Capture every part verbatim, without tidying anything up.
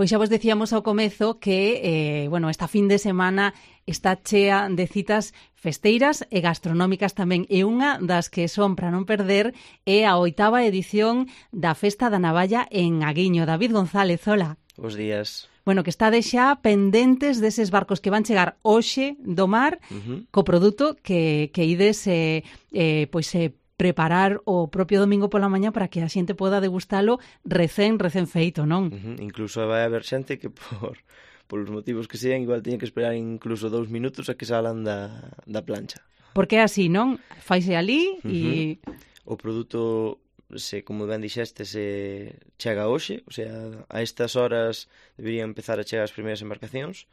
Pois xa vos decíamos ao comezo que, eh, bueno, esta fin de semana está chea de citas festeiras e gastronómicas tamén. E unha das que son para non perder é a oitava edición da Festa da Navalla en Aguiño. David González, hola. Bos días. Bueno, que estades xa pendentes deses barcos que van chegar hoxe do mar uh-huh. co produto que, que ides eh, eh, pois, eh, preparar o propio domingo pola mañá para que a xente poda degustalo recén, recén feito, non? Uh-huh. Incluso vai haber xente que por, por os motivos que sean igual teña que esperar incluso dous minutos a que salan da, da plancha. Porque é así, non? Faise ali e... Uh-huh. O produto... se, como ben dixeste, se chega hoxe, o sea, a estas horas deberían empezar a chegar as primeiras embarcacións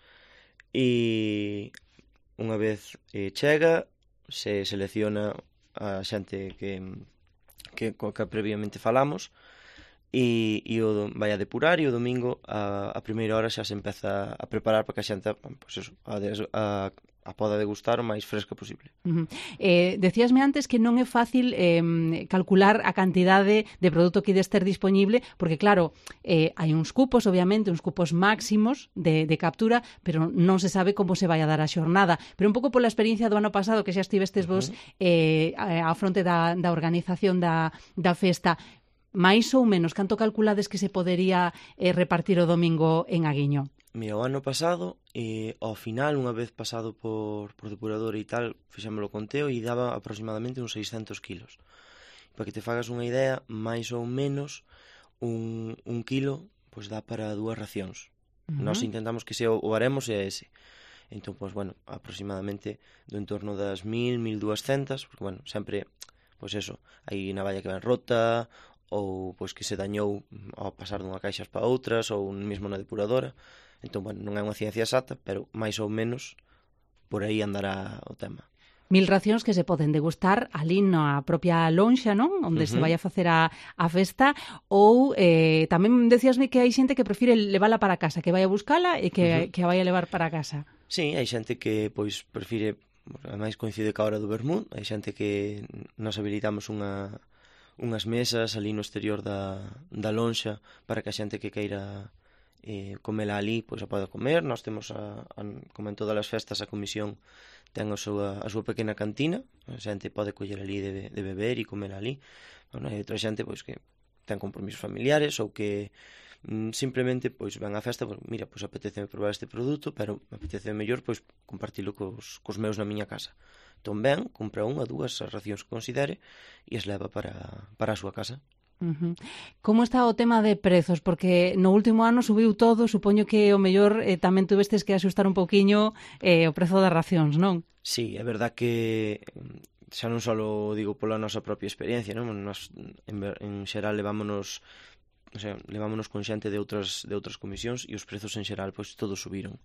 e unha vez eh, chega, se selecciona a xente que, que, co que previamente falamos e, e o vai a depurar e o domingo a, a primeira hora xa se empeza a preparar para que a xente pues eso, a, a, a poda degustar o máis fresca posible. Uh-huh. Eh, decíasme antes que non é fácil eh, calcular a cantidade de produto que ides ter disponible, porque claro, eh, hai uns cupos, obviamente, uns cupos máximos de, de captura, pero non se sabe como se vai a dar a xornada. Pero un pouco pola experiencia do ano pasado, que xa estivestes vos eh, á fronte da, da organización da, da festa, máis ou menos, canto calculades que se podería eh, repartir o domingo en Aguiño? Mira, o ano pasado, eh, ao final, unha vez pasado por, por depurador e tal, fixémolo conteo e daba aproximadamente uns seiscentos kilos. Para que te fagas unha idea, máis ou menos un, un kilo pois dá para dúas racións. Uh-huh. Nós intentamos que sea o haremos e ese. Entón, pois, bueno, aproximadamente do entorno das mil, mil duascentas, porque, bueno, sempre, pois eso, hai navalla que ven rota, ou pois que se dañou ao pasar dunha caixas para outras, ou mesmo na depuradora. Entón, bueno, non é unha ciencia exacta, pero máis ou menos por aí andará o tema. Mil racións que se poden degustar ali na propia lonxa, non? Onde uh-huh. se vai a facer a, a festa, ou eh, tamén decíasme que hai xente que prefire levala para casa, que vai a buscala e que, uh-huh. que a vai a levar para casa. Sí, hai xente que pois prefire, ademais coincide ca hora do vermut, hai xente que nos habilitamos unha, unhas mesas ali no exterior da, da lonxa para que a xente que queira eh, comela ali, pois a pode comer. Nós temos, a, a, como en todas as festas, a comisión ten a súa, a súa pequena cantina, a xente pode coller ali de, de beber e comer ali. Bueno, hai outra xente pois que ten compromisos familiares ou que mm, simplemente pois ven á festa, pois, mira, pois apetece probar este produto, pero me apetece mellor pois compartilo cos, cos meus na miña casa. Entón ben, compra unha, dúas as racións que considere e as leva para, para a súa casa. Uh-huh. Como está o tema de prezos? Porque no último ano subiu todo, supoño que o mellor eh, tamén tuvestes que asustar un pouquiño eh, o prezo das racións, non? Sí, é verdad que xa non só digo pola nosa propia experiencia, non? Nos, en, en xeral levámonos, o sea, levámonos con xente de outras de outras comisións e os prezos en xeral pois todos subiron,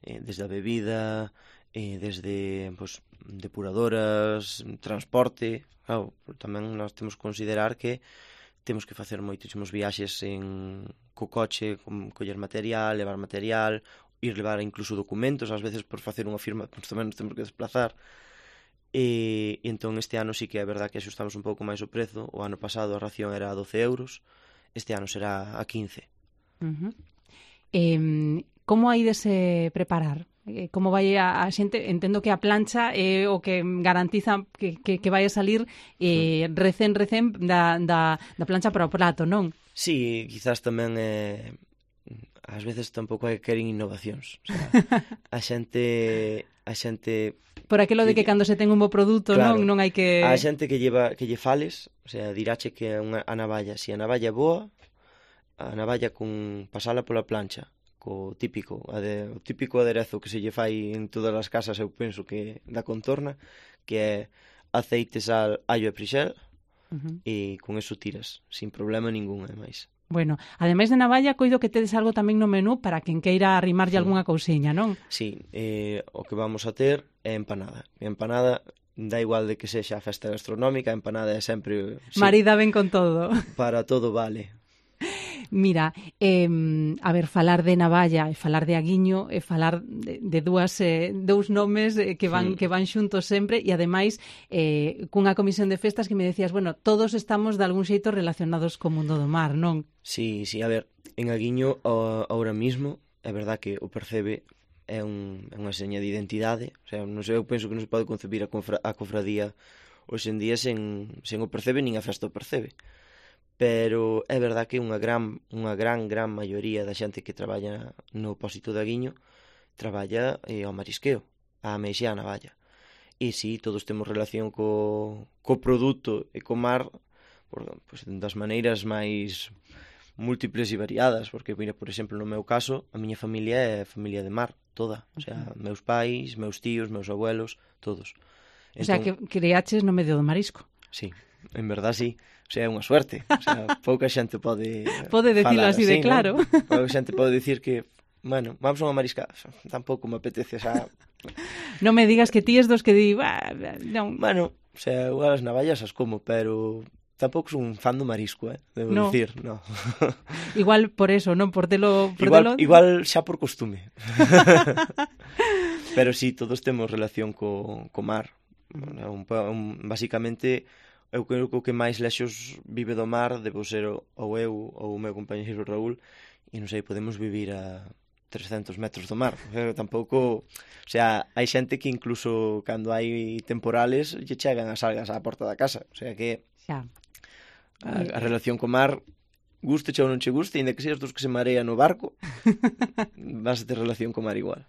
eh, desde a bebida, eh, desde pois depuradoras, transporte. Claro, tamén nós temos que considerar que temos que facer moitísimos viaxes en co coche, con coller material, levar material, ir levar incluso documentos, ás veces por facer unha firma, pois tamén nos temos que desplazar. E, e entón este ano sí que é verdad que axustamos un pouco máis o prezo. O ano pasado a ración era a doce euros, este ano será a quince. Uh-huh. Eh, como hai de se preparar? Como vai a, a xente? Entendo que a plancha é o que garantiza que, que, que vai a salir eh, recén, recén da, da, da plancha para o prato, non? Sí, quizás tamén eh, ás veces tampouco hai que querer innovacións. O sea, a xente a xente por aquilo de que cando se ten un bo produto, claro, non non hai que a xente que lleva que lle fales, o sea, dirache que unha, a navalla, se si a navalla é boa, a navalla con pasala pola plancha co típico, ade, o típico aderezo que se lle fai en todas as casas, eu penso que da contorna, que é aceite, sal, allo e prixel, uh-huh. e con eso tiras, sin problema ningún, ademais. Bueno, ademais de navalla, coido que tedes algo tamén no menú para quen queira arrimarlle sí. algunha cousiña, non? Sí, eh, o que vamos a ter é empanada. E empanada, da igual de que sexa a festa gastronómica, a empanada é sempre... Sí, marida ben con todo. Para todo vale. Mira, eh, a ver, falar de navalla e falar de Aguiño e falar de, de dúas, eh, dous nomes que van, mm. que van xuntos sempre e ademais eh, cunha comisión de festas que me decías, bueno, todos estamos de algún xeito relacionados co mundo do mar, non? Sí, sí, a ver, en Aguiño, a, ahora mismo, é verdad que o Percebe é, un, é unha seña de identidade. O sea, non sei, eu penso que non se pode concebir a, confra, a cofradía hoxe en día sen, sen o Percebe, nin a festa o Percebe. Pero é verdad que unha gran, unha gran, gran maioría da xente que traballa no pósito de Aguiño traballa eh, ao marisqueo, a ameixa e a navalla. E si, todos temos relación co, co produto e co mar, por, pues, das maneiras máis múltiples e variadas, porque, mira, por exemplo, no meu caso, a miña familia é familia de mar, toda. O sea, meus pais, meus tíos, meus abuelos, todos. Entón, o sea, que criaches no medio do marisco. Sí, en verdad sí. O sea, é unha suerte. O sea, pouca xente pode pode decirlo así, así de claro, ¿no? Pouca xente pode decir que, bueno, vamos a unha mariscada. Tampouco me apetece, o sea... Non me digas que ti es dos que di, bah, non. Bueno, o sea, igual as navallas as como, pero tampouco son un fan do marisco, eh, debo no. dicir, no. Igual por eso, non por telo... Por igual, telo... igual xa por costume. Pero sí, todos temos relación co, co mar. Un, un, basicamente, eu creo que o que máis lexos vive do mar debo ser ou eu ou o meu compañeiro Raúl, e non sei, podemos vivir a trescentos metros do mar. Pero tampouco... O sea, hai xente que incluso cando hai temporales lle chegan as algas á porta da casa. O sea que... Xa. A, a relación co mar, guste ou non che guste, ainda que seas dos que se marea no barco, vas a ter relación co mar igual.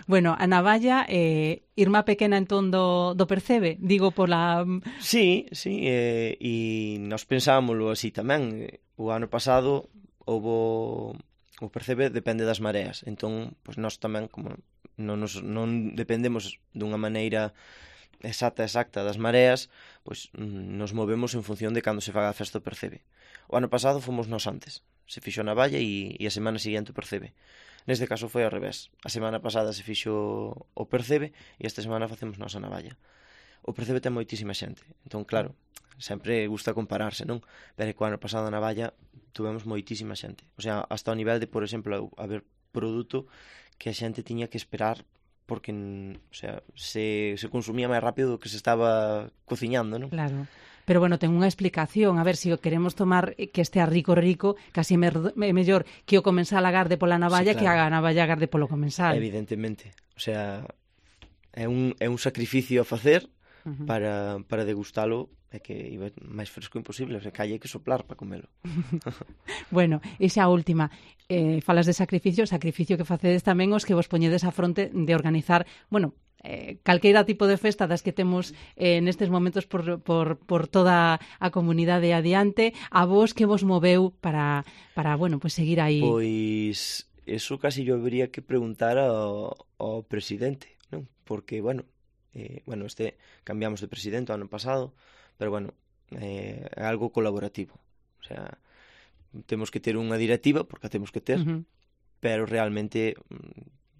Bueno, a navalla, eh, irmá pequena entón do, do Percebe, digo pola... Sí, sí, eh, e nos pensámoslo así tamén. O ano pasado houbo... O Percebe depende das mareas, entón, pois nós tamén, como non, nos, non dependemos dunha maneira exacta, exacta das mareas, pois nos movemos en función de cando se faga a festa do Percebe. O ano pasado fomos nós antes, se fixo na valla e, e a semana seguinte o Percebe. Neste caso foi ao revés, a semana pasada se fixo o Percebe e esta semana facemos nós a navalla. O Percebe ten moitísima xente, entón claro, sempre gusta compararse, non? Pero que o ano pasado na valla tuvemos moitísima xente, o sea, hasta o nivel de, por exemplo, haber produto que a xente tiña que esperar porque, o sea, se, se consumía máis rápido do que se estaba cociñando, non? Claro. Pero, bueno, ten unha explicación. A ver, se o queremos tomar que estea rico, rico, casi é mellor que o comensal agarde pola navalla, sí, claro, que a navalla agarde polo comensal. Evidentemente. O sea, é un, é un sacrificio a facer uh-huh. para, para degustalo, é que iba máis fresco imposible, o sea, que hai que soplar para comelo. Bueno, e xa a última, eh, falas de sacrificio, sacrificio que facedes tamén os que vos poñedes a fronte de organizar, bueno, eh, calqueira tipo de festa das que temos eh, nestes momentos por, por, por toda a comunidade adiante, a vos que vos moveu para, para bueno, pues seguir aí? Pois, eso casi yo habría que preguntar ao, ao presidente, non? Porque, bueno, eh, bueno, este cambiamos de presidente o ano pasado, pero, bueno, eh, é algo colaborativo. O sea, temos que ter unha directiva, porque a temos que ter, uh-huh. pero realmente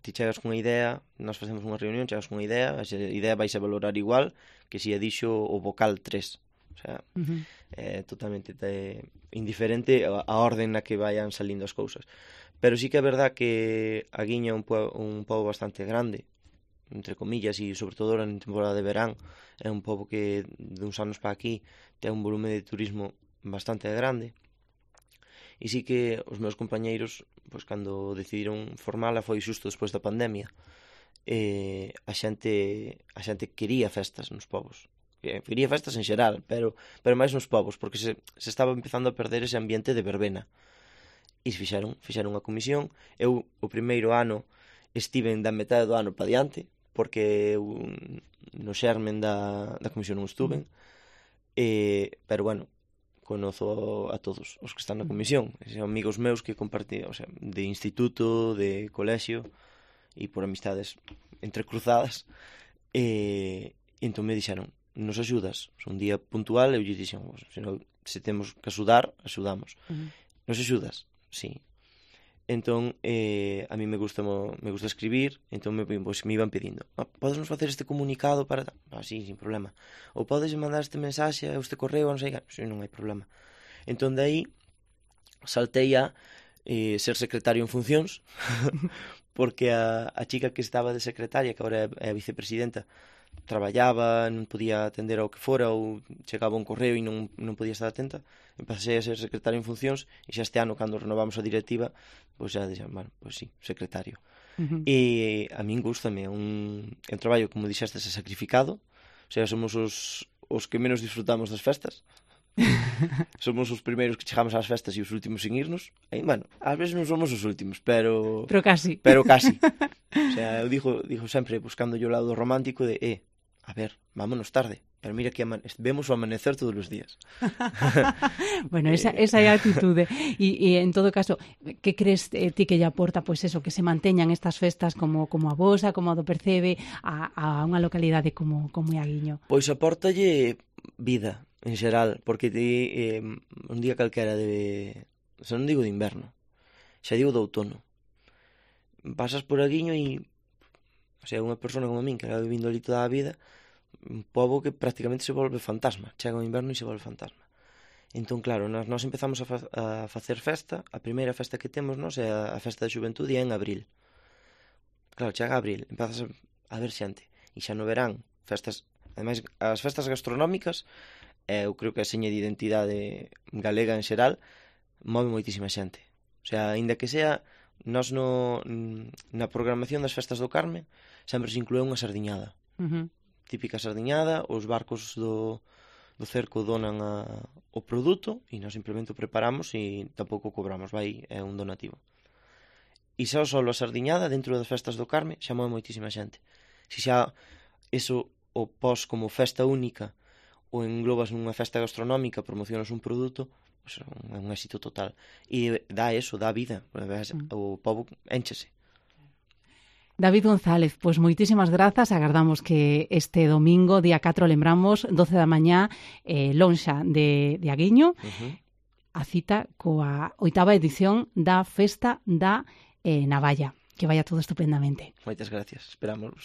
ti chegas cunha idea, nós facemos unha reunión, chegas cunha idea, a idea vais a valorar igual que se a dixo o vocal tres. O sea, uh-huh. é totalmente te, indiferente a, a orden na que vayan salindo as cousas. Pero sí que é verdad que a Guiña é un pobo, un pobo bastante grande, entre comillas, e sobre todo en temporada de verán, é un pobo que de uns anos para aquí ten un volume de turismo bastante grande. E sí que os meus compañeiros, pois cando decidiron formala foi xusto despois da pandemia. Eh, a xente a xente quería festas nos povos. Quería festas en xeral, pero pero máis nos povos, porque se, se estaba empezando a perder ese ambiente de verbena. E fixeron, fixeron unha comisión. Eu o primeiro ano estiven da metade do ano para diante, porque eu no xermen da, da comisión non estuven. Eh, pero bueno, conozo a todos os que están na comisión, son amigos meus que compartí, o sea, de instituto, de colexio e por amistades entrecruzadas. E entón me dixeron, nos axudas, son un día puntual, eu lle dixen, se, no, se temos que axudar, axudamos. Uh-huh. Nos axudas? Sí. Entón, eh, a mí me gusta me gusta escribir, entón me, pues, me iban pedindo, ah, podes nos facer este comunicado para... Ah, sí, sin problema. Ou podes mandar este mensaxe a este correo, non sei, sí, non hai problema. Entón, de aí, saltei a eh, ser secretario en funcións, porque a, a chica que estaba de secretaria, que agora é a vicepresidenta, traballaba, non podía atender ao que fora, ou chegaba un correo e non, non podía estar atenta, empecé a ser secretario en funcións, e xa este ano, cando renovamos a directiva, pois xa dixen, bueno, pois sí, secretario. Uh-huh. E a min gústame, un, un traballo, como dixestes, é sacrificado, o sea, somos os, os que menos disfrutamos das festas, somos os primeiros que chegamos ás festas e os últimos sin irnos. E, bueno, ás veces non somos os últimos, pero... Pero casi. Pero casi. O sea, eu digo, digo sempre, buscando o lado romántico de, eh, a ver, vámonos tarde, pero mira que ama... vemos o amanecer todos os días. Bueno, esa, esa é a actitude. E, e en todo caso, que crees eh, ti que lle aporta, pois eso, que se manteñan estas festas como, como a vosa, como a do Percebe, a, a unha localidade como, como é Aguiño? Pois aportalle vida, en xeral, porque ti, eh, un día calquera de... O sea, non digo de inverno, xa digo de outono. Pasas por Aguiño e... O sea, unha persona como a min, que era vivindo ali toda a vida, un pobo que prácticamente se volve fantasma. Chega o inverno e se volve fantasma. Entón, claro, nós, nós empezamos a, fa a facer festa. A primeira festa que temos, nós, é a, a festa de xuventude en abril. Claro, chega abril, empezas a, a ver xente. E xa no verán, festas... Ademais, as festas gastronómicas, eh, eu creo que a seña de identidade galega en xeral, move moitísima xente. O sea, aínda que sea... Nós no, na programación das festas do Carme sempre se inclúe unha sardiñada. Uh-huh. Típica sardiñada, os barcos do, do cerco donan a, o produto e nós simplemente o preparamos e tampouco cobramos, vai, é un donativo. E xa só a sardiñada dentro das festas do Carme xa move moitísima xente. Se xa eso o pos como festa única ou englobas nunha festa gastronómica, promocionas un produto, pues é un éxito total. E dá eso, dá vida. Mm. O pobo énchese. David González, pois pues moitísimas grazas. Agardamos que este domingo, día catro, lembramos, doce da mañá, eh, lonxa de, de Aguiño, uh-huh. a cita coa oitava edición da Festa da eh, Navalla. Que vaya todo estupendamente. Moitas gracias. Esperámoslos.